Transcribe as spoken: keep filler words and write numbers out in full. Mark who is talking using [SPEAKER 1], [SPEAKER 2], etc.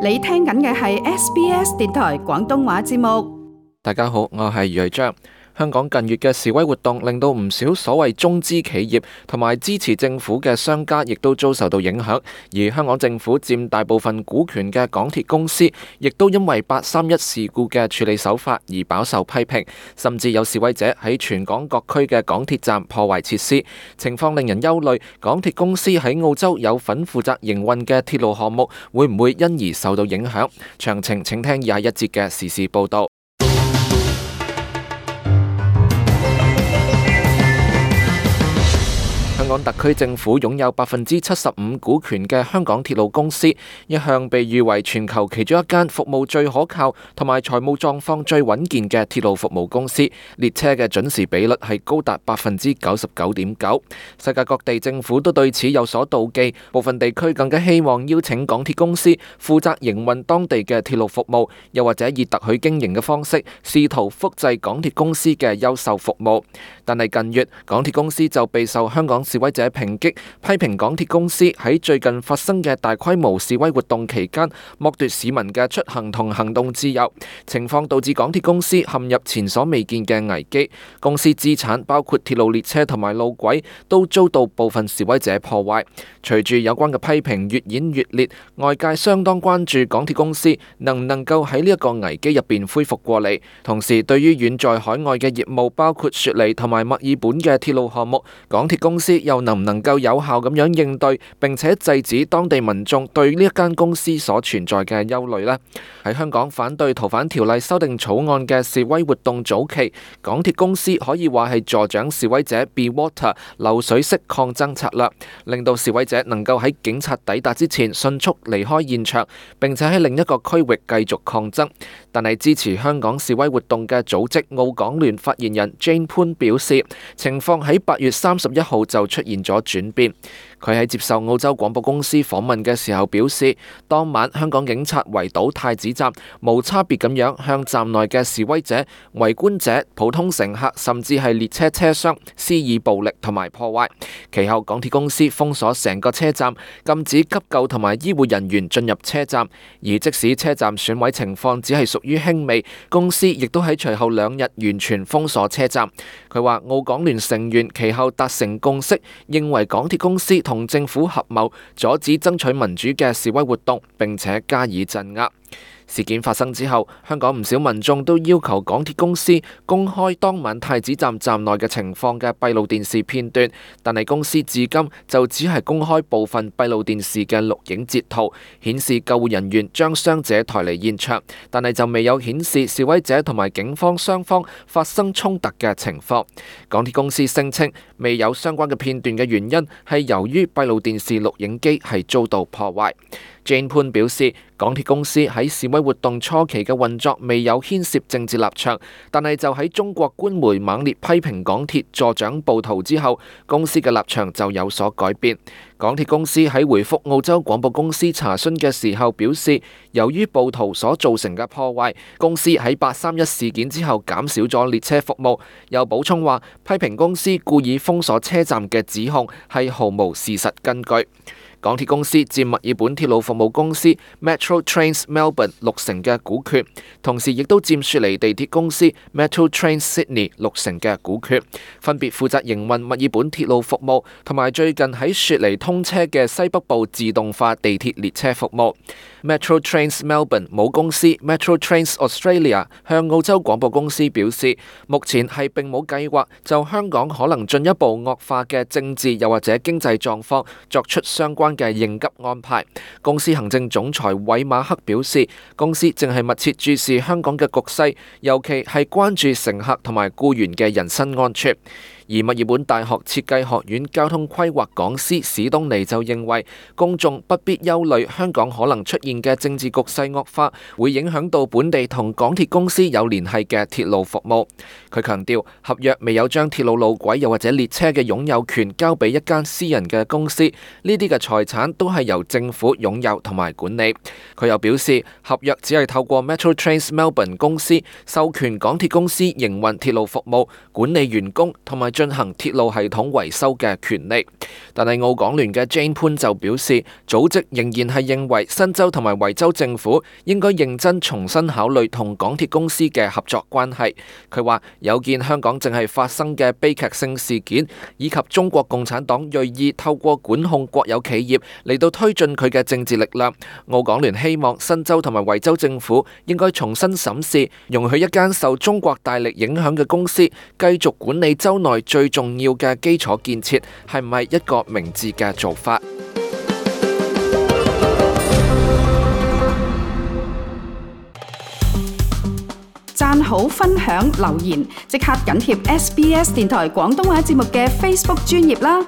[SPEAKER 1] 你聽緊嘅係 S B S 電台廣東話節目。
[SPEAKER 2] 大家好，我係余章。香港近月嘅示威活動令到唔少所謂中資企業同埋支持政府嘅商家亦都遭受到影響，而香港政府佔大部分股權嘅港鐵公司亦都因為八三一事故嘅處理手法而飽受批評，甚至有示威者喺全港各區嘅港鐵站破壞設施，情況令人憂慮。港鐵公司喺澳洲有份負責營運嘅鐵路項目會唔會因而受到影響？詳情請聽以下一節嘅時事報導。香港特區政府擁有百分之七十五股權嘅香港鐵路公司，一向被譽為全球其中一間服務最可靠同埋財務狀況最穩健嘅鐵路服務公司。列車嘅準時比率係高達百分之九十九點九。世界各地政府都對此有所妒忌，部分地區更加希望邀請港鐵公司負責營運當地嘅鐵路服務，又或者以特許經營嘅方式試圖複製港鐵公司嘅優秀服務。但係近月，港鐵公司就備受香港示威者抨擊，批評港鐵公司喺最近發生嘅大規模示威活動期間剝奪市民嘅出行同行動自由，情況導致港鐵公司陷入前所未見嘅危機。公司資產包括鐵路列車同埋路軌都遭到部分示威者破壞。隨住有關嘅批評越演越烈，外界相當關注港鐵公司能唔能夠喺呢一個危機入邊恢復過嚟。同時，對於遠在海外嘅業務，包括雪梨同埋墨爾本嘅鐵路項目，港鐵公司又能唔能夠有效咁樣應對，並且制止當地民眾對呢一間公司所存在嘅憂慮呢？喺香港反對逃犯條例修訂草案嘅示威活動早期，港鐵公司可以話係助長示威者 Be Water 流水式抗爭策略，令到示威者能夠喺警察抵達之前迅速離開現場，並且喺另一個區域繼續抗爭。但係支持香港示威活動嘅組織澳港聯發言人 Jane 潘表示，情況喺八月三十一號就出現咗轉變。佢喺接受澳洲廣播公司訪問嘅時候表示，當晚香港警察圍堵太子站，無差別咁樣向站內嘅示威者、圍觀者、普通乘客甚至係列車車廂施以暴力同埋破壞。其後港鐵公司封鎖成個車站，禁止急救同埋醫護人員進入車站。而即使車站損毀情況只係屬於輕微，公司亦都喺隨後兩日完全封鎖車站。佢話澳港聯成員其後達成共識，認為港鐵公司同政府合謀阻止爭取民主嘅示威活動，並且加以鎮壓。事件發生之後，香港唔少民眾都要求港鐵公司公開當晚太子站站內嘅情況嘅閉路電視片段，但係公司至今就只係公開部分閉路電視嘅錄影截圖，顯示救護人員將傷者抬離現場，但係就未有顯示示威者同埋警方雙方發生衝突嘅情況。港鐵公司聲稱未有相關嘅片段嘅原因係由於閉路電視錄影機係遭到破壞。Jane 潘表示，港鐵公司喺示威活動初期嘅運作未有牽涉政治立場，但係就喺中國官媒猛烈批評港鐵助長暴徒之後，公司嘅立場就有所改變。港鐵公司喺回覆澳洲廣播公司查詢嘅時候表示，由於暴徒所造成嘅破壞，公司喺八三一事件之後減少咗列車服務。又補充話，批評公司故意封鎖車站嘅指控係毫無事實根據。港鐵公司佔墨爾本鐵路服務公司 Metro Trains Melbourne 六成嘅股權，同時亦都佔雪梨地鐵公司 Metro Trains Sydney 六成嘅股權，分別負責營運墨爾本鐵路服務同埋最近喺雪梨通車嘅西北部自動化地鐵列車服務。Metro Trains Melbourne 母公司 Metro Trains Australia 向澳洲廣播公司表示，目前係並冇計劃就香港可能進一步惡化嘅政治又或者經濟狀況作出相關嘅應急安排。公司行政總裁韋馬克表示，公司正係密切注視香港嘅局勢，尤其係關注乘客同埋僱員嘅人身安全。而墨爾本大學設計學院交通規劃講師史東尼就認為，公眾不必憂慮香港可能出現嘅政治局勢惡化會影響到本地同港鐵公司有聯繫嘅鐵路服務。佢強調，合約未有將鐵路路軌又或者列車嘅擁有權交俾一間私人嘅公司，呢啲嘅財產都係由政府擁有同埋管理。佢又表示，合約只係透過 Metro Trains Melbourne 公司授權港鐵公司營運鐵路服務、管理員工同埋進行鐵路系統維修嘅權利。但係澳港聯嘅 Jane 潘就表示，組織仍然係認為新州同埋維州政府應該認真重新考慮同港鐵公司嘅合作關係。佢話有見香港正係發生嘅悲劇性事件，以及中國共產黨銳意透過管控國有企業嚟到推進佢嘅政治力量，澳港聯希望新州同埋維州政府應該重新審視，容許一間受中國大力影響嘅公司繼續管理州內最重要嘅基礎建設，係唔係一個明智嘅做法？
[SPEAKER 1] 讚好、分享、留言，即刻緊貼 S B S 電台廣東話節目嘅 Facebook 專頁啦！